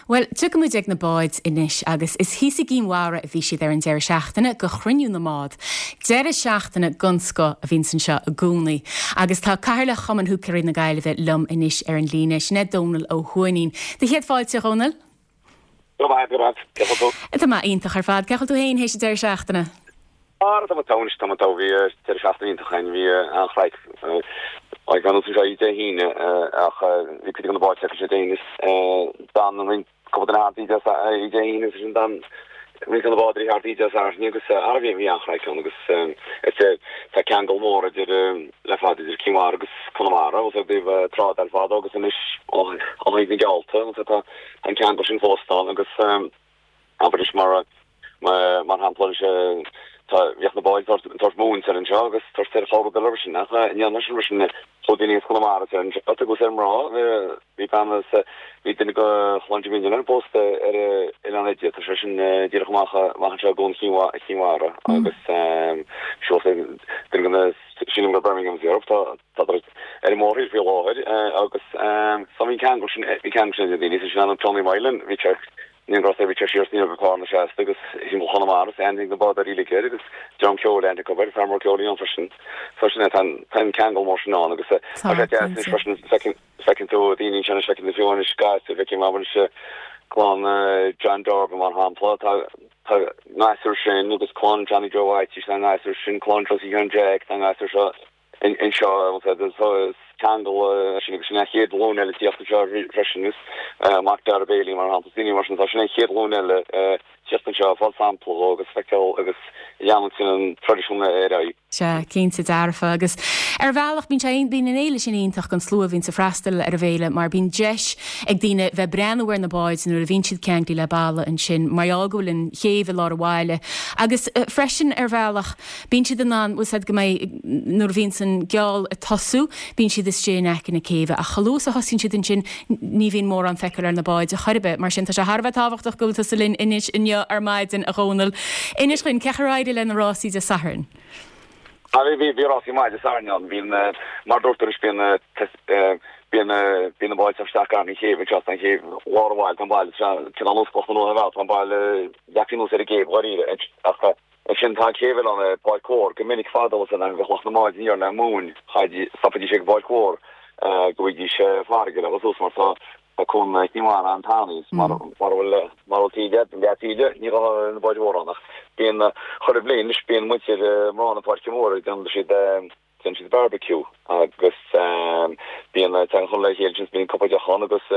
Bhuel, tiocfaidh muid ag na báid anois agus is thíos i gCinn Mhara a bhí siad ar an deireadh seachtaine go chruinniú na mbád. Deireadh seachtaine den scoth a bhíonns anseo i gcónaí. Agus tá Cathaoirleach Chumann Húicéirí na Gaillimhe liom anois ar an líne, sin é Dónal Ó hUaithnín. Do chéad fáilte, a Dhónaill. Go raibh maith agat, cén chaoi a bhfuil tú? Tá mé iontach ar fad. Cén chaoi a bhfuil tú féin théis an deireadh seachtaine? Ara, tá mé togha anois, tá mé togha. Bhí deireadh seachtaine iontach againn, bhí an-chraic. Ag an anseo Dé hAoine ach bhí cuid de na báid feicthe Dé hAoine. D'fhan roinnt cúpla duine thart Dé hAoine agus ansin d'fhan roinnt de na bádóirí thart Dé Sathairn agus ara bhí bhí an-chraic ann agus tá ceangal mór idir le fada idir Cinn Mhara agus Conamara agus i dtaobh trádáil fadó agus anois ó thaobh na geallta agus tá an ceangal sin fós ann agus Abair anois mar, mar shampla anois, tá, bhíodh na báid ag tabhairt móin soir anseo agus tabhairt soir chuile rud eile roimhe sin ach ní dhéanann sin roimhe sin chuaigh daoine as Conamara soir anseo agus ar mná, bhí bean as, bhí duine de chlann Jimí an Duine pósta ar Oileán Eide, tá sé sin díreach amach, amach anseo i gCuan Chinn Mhara agus seo duine de na, sílim gur Birmingham Europe, tá, tá ar an mórthír faoi láthair agus so bhí an ceangal sin, bhí ceangal sin idir daoine, sin an Tony Moylan, bhí sé Ní raibh sé, bhí sé siar sna go Carna seasta agus thimpeall Chonamara is aithne ag na bádóirí uilig air agus dream ceoil aithne acu air, fear mór ceoil a bhí ann freisin. So sin é, tá an, tá an ceangal mór sin ann agus tá Tá, sé deas anois cinnte. freisin, feiceann, feiceann tú daoine ansin anois, feiceann tú fiú anois gasúir, feicim abair anois clann John Dorgan mar shampla, tá, tá gasúir sin agus clann Johnny Joe Whitey, tá gasúir sin, clann Josie Sheáin Jack, tá gasúir seo anseo is ceangal sin agus sin an chéad ghlúin eile tíocht anseo freisin is mac Dara Bailey mar shampla daoine mar sin tá sin an chéad ghlúin eile tíocht anseo ag fáil sampla dhó agus feiceáil agus leanúint an traidisiún ar aghaidh. Sea, cinnte dearfa agus ar bhealach bíonn sé, bíonn an fhéile sin iontach don slua a bhíonns ag freastal ar an bhféile mar bíonn deis ag daoine bheith breathnú ar na báid nuair a bhíonn siad ceanglaithe le balla ansin mar gheall go bhfuil an chéibh i lár an bhaile agus freisin ar bhealach Bíonn siad in ann, bhfuil 's a'd go mbeidh, nuair a bhíonns an geall ag tosú, bíonn siad istigh in aice na céibhe ach chomh luath is a thosaíonn siad ansin ní bhíonn mórán feiceáil ar na báid chor ar bith. Mar sin tá sé thar a bheith tábhachtach go bhfuil tusa linn anois inniu ar maidin, a Dhónaill. Inis dhuinn, cén chaoi ar éirigh le na rásaí Dé Sathairn? Ah bhí, bhí, bhí rásaí maith Dé Sathairn ann. Bhí an, mar a dúirt tú anois, bíonn, bíonn, bíonn na báid ag teacht isteach gar don chéibh anseo, tá an chéibh lár an bhaile, tá an baile, cineál nós Cloch na Rón ar bhealach, tá an baile leagtha anuas ar an gcéibh dháiríre ach, Ansin tá an chéibh eile ann ar Pháirc Mhór. Go minic fadó san am bheadh lucht na mbád aniar le móin, chaithfidís, stopaidís ag an bPáirc Mhór go bhfaighidís farraige le dhul suas mar tá tá Cuan Chinn Mhara an-tanaí is mar mar a bhfuil mar a bhfuil taoide, leath taoide, ní ghabhfadh na báid mhóra ann ach bíonn chuile bhliain anois bíonn muintir mná na Páirce Móire déanann siad déanann siad barbecue agus bíonn tagann chuile le chéile ansin bíonn cupa deoch ann agus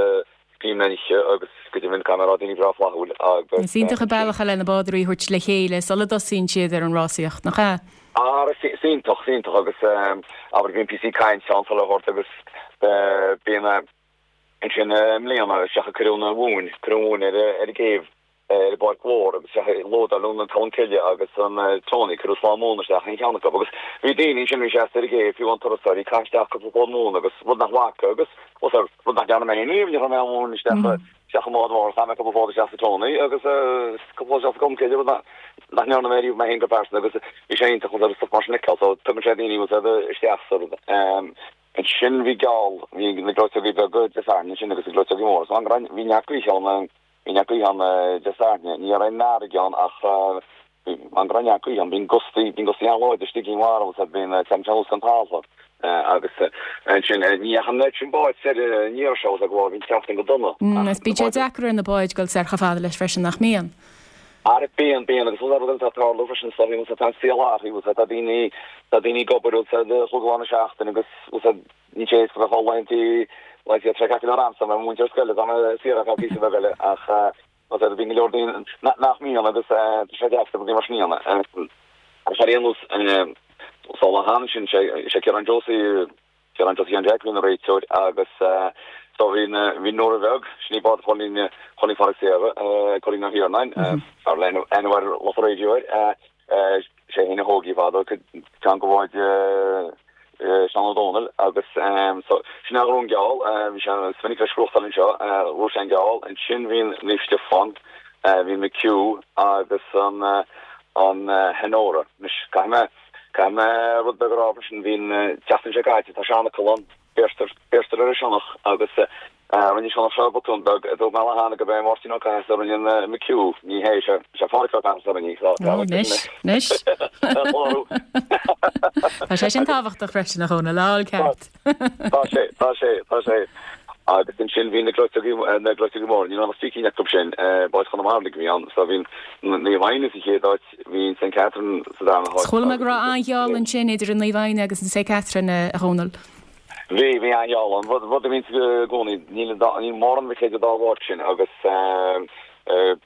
bíonn oíche agus go deimhin caithfidh mé a rá daoine breá flaithiúil agus Is iontach an bealach é le na bádóirí a thabhairt le chéile sula dtosaíonn siad ar an rásaíocht, nach ea? Ara, is iontach, is iontach agus abair bíonn píosaí cainte ann sula thabhairt agus bíonn ansin i mbliana isteach a cuireadh an mhóin, cuireadh an mhóin ar an gcéibh ar an bPáirc Mhór agus isteach lódáileadh an Colm Cille agus an Tony, cuireadh slám móna isteach in cheann acu agus bhí daoine ansin a bhí seasta ar an gcéibh, fiú amháin turasóirí, ag caitheamh isteach cúpla plód móna agus rud nach bhfaca agus bhuel sir, rud nach ndearna mé féin riamh, ní chuir mé aon mhóin isteach isteach i mbád mór, chaith mé cúpla plód isteach sa Tony agus cúpla plód isteach sa Colm Cille, rud nach nach ndearna mé riamh mé féin go pearsanta agus bhí sé iontach agus stuff mar sin a fheiceáil so tugann sé daoine bhuel sir isteach sa rud. Ansin bhí geall, bhí na gleoiteogaí beaga Dé Sathairn ansin agus na gleoiteogaí móra so an bhí neart gaoithe ann Bhí neart gaoithe ann Dé Sathairn. Ní raibh aon fharraige ann ach an go raibh neart gaoithe ann. Bíonn gustaí, bíonn gustaí an-láidir istigh i gCinn Mhara agus bíonn tagann sé anuas den talamh agus ansin ní dheachaigh an oiread sin báid soir an iarraidh seo agus go bhí an tseachtain go dona. Is bíonn sé deacair ar na báid dul soir chomh fada leis freisin, nach mbíonn? Ara bíonn, bíonn agus rud eile atá ag tarlú freisin is dóigh tá an saol athraithe tá daoine, tá daoine ag obair chúig lá na seachtaine agus Níl sé éasca bheith laethanta laethanta traic acu ar amsa mar múinteoir scoile tá mé saor ar feadh píosa beag eile ach tá sé bíonn go leor daoine nach mbíonn agus tá sé deacair rudaí mar sin a dhéanamh. Ach ar aon nós sa lá cheana sin sé sé Ciarán Josie Ciarán Josie Sheáin Jack a bhí ina réiteoir agus so bhí bhí Nóra Bheag sin í bád Chóilín Chóilín Phádraig Saora Cóilín Ó hIarnáin fear le aithne mhaith ar lucht an raidió air sé féin a thóg í fadó ceann de bháid Seán Ó Dónaill agus so sin é a ghnóthódh an geall, bhí sé is minic leis gnóthachtáil anseo, ghnóthaigh sé an geall, ansin bhí an Naomh Stiofán, bhí McHugh agus an an Honora. Anois caithfidh mé, caithfidh mé rud beag a rá freisin, bhí an tseachtain seo caite, tá sionnach ann, beirtear, beirtear ar an sionnach agus. Rinne Seán seo botún beag, dúirt mé cheana gurb é Máirtín Ó Cathasaigh a rinne an McHugh, ní hé, sé Pádraic Ó Cathasaigh a rinne í. Ó, anois, anois. Tá sé sin tábhachtach freisin, a Dhónaill, a fháil ceart. Tá sé, tá sé, tá sé. Agus ansin bhí na gleoiteogaí, na gleoiteogaí móra, ní raibh ach trí cinn acu sin, báid Chonamara a bhí ann, so bhí Naomh Adhna sa chéad áit, bhí St Catherine sa darna háit. Chuala mé go raibh an-gheall ansin idir an Naomh Adhna agus an St Catherine, a Dhónaill. Bhí, bhí an-gheall ann. Rud, rud a bhíonns i gcónaí, níl an dá, níl mórán a bheith idir dá bhád sin agus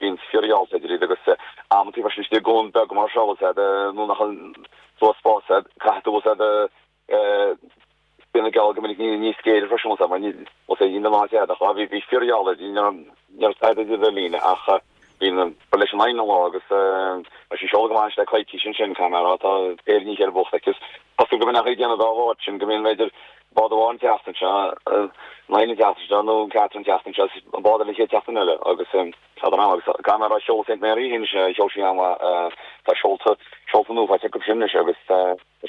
bíonn fíorgheall idir iad agus amantaí freisin istigh i gcuan beag mar seo, bhfuil a fhios a'd, nó nach bhfuil spás a'd, caithfidh tú, bhfuil a fhios a'd, Bíonn an geall go minic níos géire freisin mar ní bhfuil an áit a'd ach bhí bhí fíorgheall idir ní raibh ní raibh tada idir ar líne ach bhí an ba leis an Adhna an lá agus tá sí seolta go maith anois le coicís ansin caithfidh mé a rá tá péire i ndiaidh a chéile buachta aici. Cosúil go mbíonn ag déanamh dá bharr sin go mbíonn b'fhéidir bád amháin an tseachtain seo an Adhna an tseachtain seo nó an Catherine an tseachtain seo an bád eile an chéad tseachtain eile agus tá an agus caithfidh mé a rá sheol St Mary féin sheol sí an-mhaith tá seolta seolta nua faighte acu sin anois agus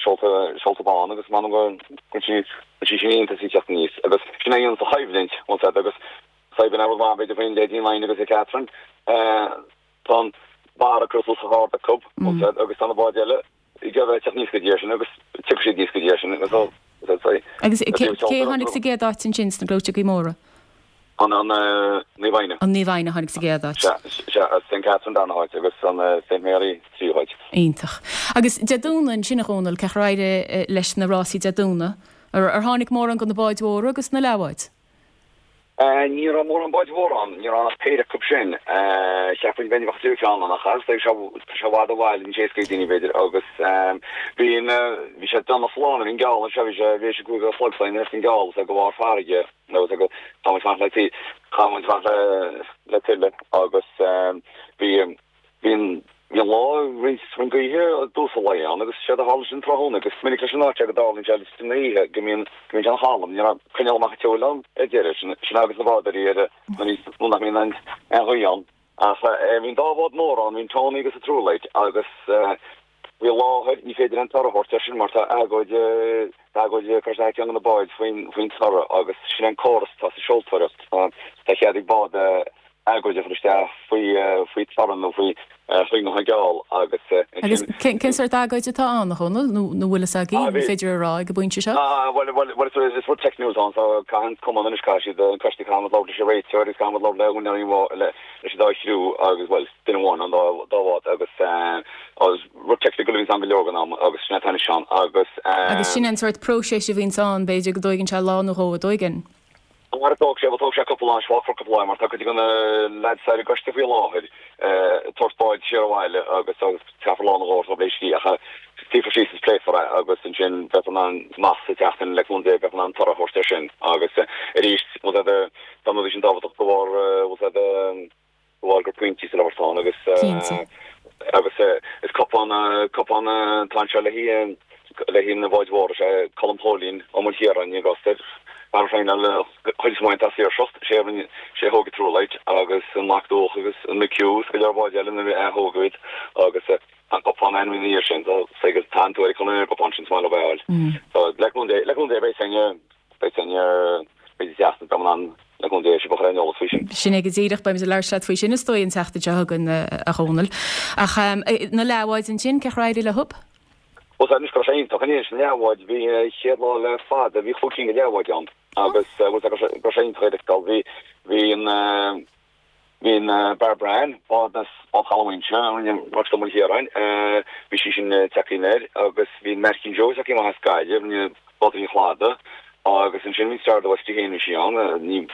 seolta, seolta bán agus m'anam go bhfuil sí, bhfuil sí sin iontach ag teacht aníos agus sin é a dhéanann sa choimhlint, bhfuil a fhios a'd agus saidhbhinn rud maith b'fhéidir faoin Lady Nine agus a Catherine, tá an barra curtha suas chomh hard acu, bhfuil a fhios a'd agus tá na báid eile ag iarraidh teacht aníos go dtí sin agus tiocfaidh siad aníos go dtí sin agus so, Agus cé a tháinig sa gcéad áit ansin sna gleoiteogaí móra? An Naomh Adhna. An Naomh Adhna a tháinig sa gcéad áit. Sea, sea, St Catherine darna háit agus an St Mary tríú háit. Iontach. Agus Dé Domhnaigh ansin a Dhónaill, cén chaoi ar éirigh leis na rásaí Dé Domhnaigh? Ar tháinig mórán de na báid mhóra agus na leathbháid? Ní raibh mórán báid mhóra ann, ní raibh ach péire acu sin. Cheapfainn b'fhéidir bheadh an tríú ceann ann ach tá sé i bhfad ó bhaile, níl sé éasca ag daoine b'fhéidir agus bhí an, bhí sé déanach sa lá nuair a bhí an geall anseo, bhí sé, bhí sé 5 a chlog so an geall so go bharr farraige. Nó tá muid fanacht le tí, tá muid fanacht le le tuile agus bhí bhí an bhí an lá roinnt roinnt gaoithe i dtús an lae ann agus séard a tharla sin tráthnóna agus is minic leis an áit seo go dtarlaíonn sé san oíche go mbíonn go mbíonn sé an-chalm, ní raibh coinneáil amach an tseoil ann ar deireadh, sin sin agus na bádóirí ar nuair nuair nach mbíonn aon aon ghaoth ann. Ach bhí an dá bhád mór ann, bhí an Tony agus an Truelight agus faoi láthair ní féidir aon toradh a thabhairt air sin mar tá agóid tá agóid curtha isteach ag ceann de na báid faoin faoin toradh agus sin é an córas atá sa seoltóireacht. Tá tá cead ag bád agóid a chur isteach faoi faoi toradh nó faoi faoi an gheall agus Agus cén cén sórt agóid atá ann, a Dhónaill, nó nó bhfuil fhios agaibh, an féidir a rá ag an bpointe seo? Ah, bhuel, bhuel, bhuel, is rud teicniúil atá ann, so caithfidh an cumann anois, caithfidh siad, an coiste, caithfidh muid labhairt leis an réiteoir agus caithfidh muid labhairt le húinéirí an leis an dá chriú agus, bhuel, duine amháin an dá dá bhád agus eh, rud technical a bhíonns ann go leor den am agus sin é atá anois ann agus eh. Agus sin an sórt próiseas a bhíonns ann, b'fhéidir go dtóigeann sé lá nó dhó, an dtóigeann? Mar a thóg sé, bhuel thóg sé cúpla lá, fágfar cúpla lá mar tá cuid de na lads ar an gcoiste faoi láthair ag tabhairt báid siar abhaile agus agus caithfear lá nó dhó orthu leis ach suífear síos is pléifear é agus ansin beifear in ann amach sa tseachtain le cúnamh Dé beifear in ann toradh a thabhairt air sin agus arís bhfuil a fhios a'd tá na rudaí sin tábhachtach de bharr bhfuil a fhios a'd de bharr gur pointí sa leabhar atá ann agus Cinnte. agus is cupán cupán atá anseo le haghaidh le haghaidh na báid mhóra, sé Colm Chóilín Ó Maoilchiaráin ní gá air fear féin le chuid is mó atá saoirseacht, sé a rinne sé a thóg an Truelight agus an Mac Dúach agus an McHugh is go leor báid eile nuair a thógadh iad agus tá an cupán ainmnithe ina dhiaidh sin so tá an tuairisc chun an gcupán sin is maith leo a fháil. So le cúnamh Dé le cúnamh Dé beidh sin Beidh sin beidh an tseachtain beidh mé in ann le cúnamh Dé sibh a chur ar an eolas faoi sin. Sin é go díreach, beimid ag labhairt leat faoi sin is dóigh an tseachtain seo chugainn a Dhónaill. Ach na leathbháid ansin, cén chaoi ar éirigh leo? Bhuel anois go raibh sé iontach anois na leathbháid bhí chéad lá le fada bhí chúig cinn de leathbháid ann agus bhuel go raibh sé iontach a fheiceáil bhí bhí an Bhí an Barbara Ann, bád as Bád Chaladh Mhuinseo, a rinne Rossa Ó Maoilchiaráin, bhí sí sin tagtha aniar agus bhí an Maircín Joe tagtha amach as Gaillimh, rinne Bád an Chladaigh agus ansin bhí Star of the West í féin bhí sí ann, ní,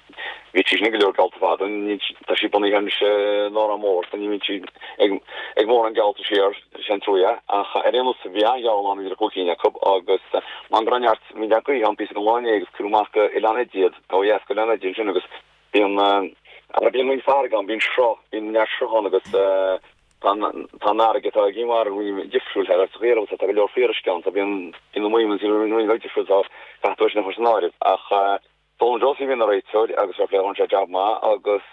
bhí sí sin ag go leor geallta fada, ní, tá sí bunaithe anois in Órán Mór so ní bhíonn sí ag, ag mórán geallta siar, sin trua ach ar aon nós bhí an-gheall ann idir an chúig cinn acu agus mar go raibh neart, bhí neart gaoithe ann píosa den lá inné agus cuireadh amach go Oileán Eide iad, ó dheas go Oileán Eide ansin agus Bíonn, ara bíonn roinnt farraige ann, bíonn sruth, bíonn neart sruth ann agus tá an, tá an fharraige atá i gCinn Mhara roinnt difriúil thar sa Ghaoth tá go leor fíoruisce ann, so bíonn, bíonn na movements roinnt bheag difriúil so caithfidh tú é sin a chur san áireamh. Ach Donal Josie a bhí ina réiteoir agus fair play rinne sé jab maith agus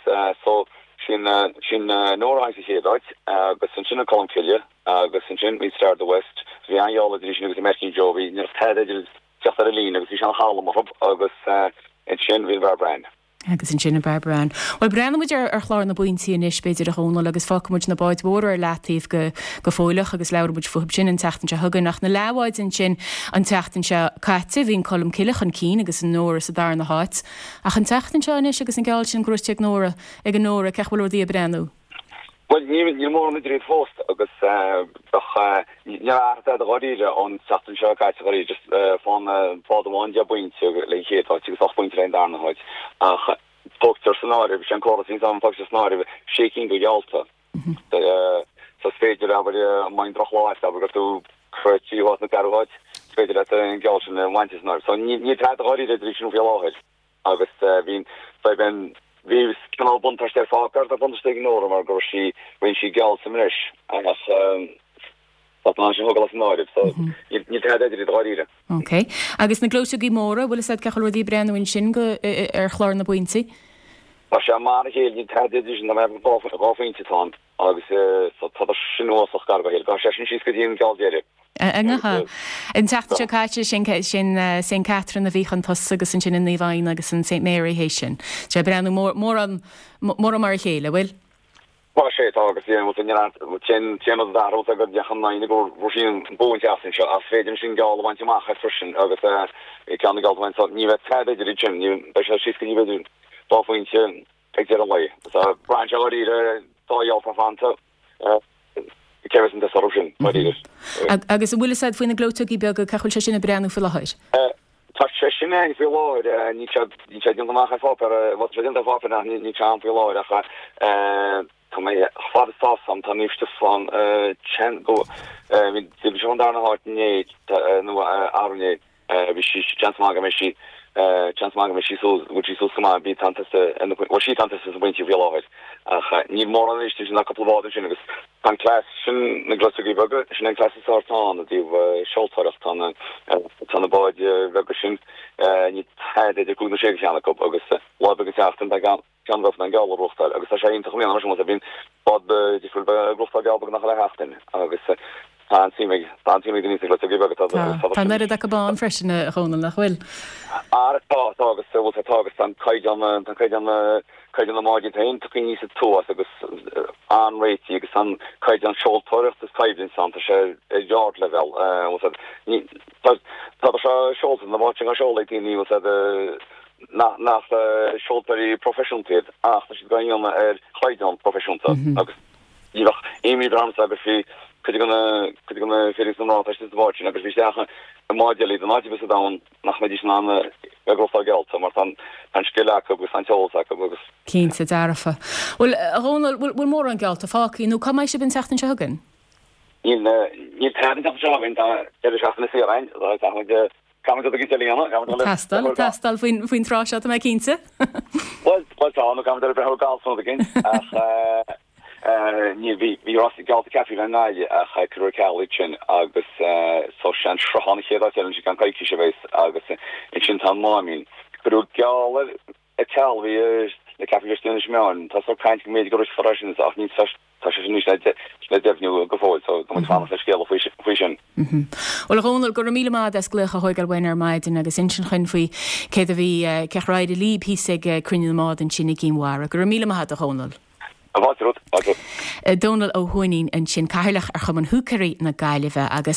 so sin, sin Nóra a tháinig sa chéad áit agus ansin an Colm Cille agus ansin bhí Star of the West, so bhí an-gheall idir í sin agus an Maircín Joe, bhí, ní raibh tada idir teacht ar an líne agus bhí sé an-chalm orthu agus ansin bhí an Barbara Ann. Agus ansin an Barbara Ann. Bhuel, breathnóidh muid ar chlár na bpointí anois, b'fhéidir, a Dhónaill, agus fágfaidh muid na báid mhóra ar leataobh go go fóilleach agus labhróidh muid fúthu sin an tseachtain seo chugainn. Ach na leathbháid ansin an tseachtain seo caite, bhí an Colmcille chun cinn agus an Nóra sa darna háit. Ach an tseachtain seo anois agus an geall sin gnóite ag Nóra, ag an Nóra, cén chaoi a bhfuil rudaí ag breathnú? Bhuel, níl mórán idir iad fós agus bheadh, níor athraigh tada dháiríre ón tseachtain seo caite dháiríre, just fán bád amháin 10 bpointe le an chéad áit agus 8 bpointe le an darna háit. Ach tógtar san áireamh, sé an córas a bhíonns ann, tógtar san áireamh sé cinn de gheallta. So is féidir, abair, má bhíonn drochlá agat, abair gur tú sa tríú háit nó ceathrú háit, is féidir leat an geall sin a bhaint as an áireamh. So níl tada dháiríre idir iad sin faoi láthair. Agus bhí, bhí, bhí cineál buntáiste ar pháipéar, tá buntáiste ag Nóra mar go raibh sí, rinne sí geall sa mbreis ach tá an sin thógáil as an áireamh so níl, níl tada idir iad dháiríre. Ok. Agus na gleoiteogaí móra, bhfuil fhios agat cén chaoi a bhfuil rudaí ag breathnú ansin go, ar chlár na bpointí? Tá sé mar a chéile, níl tada idir sin, tá mé ag dhá phointe atá ann agus so tá sin uasach gar dá chéile, gabhfaidh sé sin síos go dtí an geall deiridh. An tseachtain seo caite, sin St Catherine a bhí chun tosaigh agus ansin an Naomh Adhna agus an St Mary théis sin. Tá sé ag breathnú mórán mar a chéile, an bhfuil? Tá sé, tá agus sin an rud a d'athraigh go dteach an Adhna go bhfuair sí an bua an tseachtain seo ach is féidir ansin geall a bhaint amach as freisin agus ceann na geallta a bhaint so ní bheidh tada idir iad sin, beidh sé síos go dtí b'fhéidir dá phointe ag deireadh an lae. Braitheann sé dháiríre dá gheall atá fanta. Cé bheas an test orthu sin, dáiríre? Agus an bhfuil fhios a'd faoi na gleoiteogaí beaga, cén chaoi a bhfuil sé sin ag breathnú faoi láthair? Tá sé sin ann faoi láthair, níl sé, níl sé déanta amach ar pháipéar, bhuel tá sé déanta ar pháipéar ach níl sé ann faoi láthair ach tá mé, chomh fada is atá fhios a'm, tá Naomh Stiofán, sean, go, bhí sé an darna háit inné, nó arú inné. Bhí sí, seans maith go mbeidh sí, seans maith go mbeidh sí suas, bhfuil sí suas go maith, bhí tá an test ar na, bhuel sí tá an test ar na pointí faoi láthair ach níl mórán arís ansin ach cúpla bád ansin agus tá an cleas sin na gleoiteogaí beaga, sin an cleas is fearr atá ann i dtaobh seoltóireacht, tá na, tá na báid bheaga sin, níl tada idir cúig nó sé de cheann acu agus lá beag an tseachtain tá ceann, ceann acu an geall a ghnóthachtáil agus tá sé iontach i mbliana mar sin bhfuil bíonn bád difriúil ag gnóthachtáil geall beagnach chuile sheachtain agus tá an-suim ag tá an-suim ag daoine sna gleoiteogaí beaga tá Tá tá an oiread acu ann freisin a Dhónaill nach bhfuil? Ara tá tá agus bhfuil tá tá agus tá an caighdeán tá an caighdeán caighdeán na mbáid iad féin tagtha aníos aduas agus an-réitithe agus tá an caighdeán seoltóireachta is coimhlint ann tá sé ar ardleibhéal bhfuil ní tá tá sé seolta na báid sin á seoladh ag daoine bhfuil siad nach seoltóirí proifisiúnta iad ach tá siad á dhéanamh ar chaighdeán proifisiúnta agus ní bheadh imní ormsa agus bhí cuid de na cuid de na fir agus na mná atá istigh sa bhád sin agus bhí isteach i mbád eile iad in áit ar bith sa domhan nach mbeidís in ann a bheith ag gnóthachtáil geallta mar tá an scil acu agus tá an t-eolas acu agus. Cinnte, dearfa. Bhuel, a Dhónaill, bhfuil mórán geallta fágtha nó cá mbeidh sibh an tseachtain seo chugainn? Níl, níl tada an tseachtain seo chugainn, tá deireadh seachtaine saor againn, tá muid Caithfimid rud éigin a dhéanamh, caithfimid dul Teastáil, ag teastáil faoin, faoin tráth seo, tá mé cinnte. Bhuel, bhuel tá, nó caithfimid dul ag breathnú ar galf nó rud éigin, ach ní, bhí, bhí rás geallta ceaptha i nGaillimh ach cuireadh ar ceal iad sin agus so sé an Sruthán an chéad áit eile ansin i gceann coicíse a bheas agus ansin tá an Máimín. Cuireadh geall ar ceal a bhí le ceapadh leis Inis Meáin. Tá sórt caint go mb'fhéidir go rithfear é sin ach níl tá sé sin anois le deimhniú go fóill so tá muid ag fanacht le scéala faoi sin. Bhuel a Dhónaill, go raibh míle maith agat as glaoch a thóigeáil uainn ar maidin agus insint chuinn faoi céard a bhí, cén chaoi ar éirigh libh thíos ag Cruinniú na mBád ansin i gCinn Mhara. Go raibh míle maith agat a Dhónaill. Fáilte romhat, fáilte. Dónal Ó hUaithnín ansin, Cathaoirleach ar Chumann Húicéirí na Gaillimhe agus.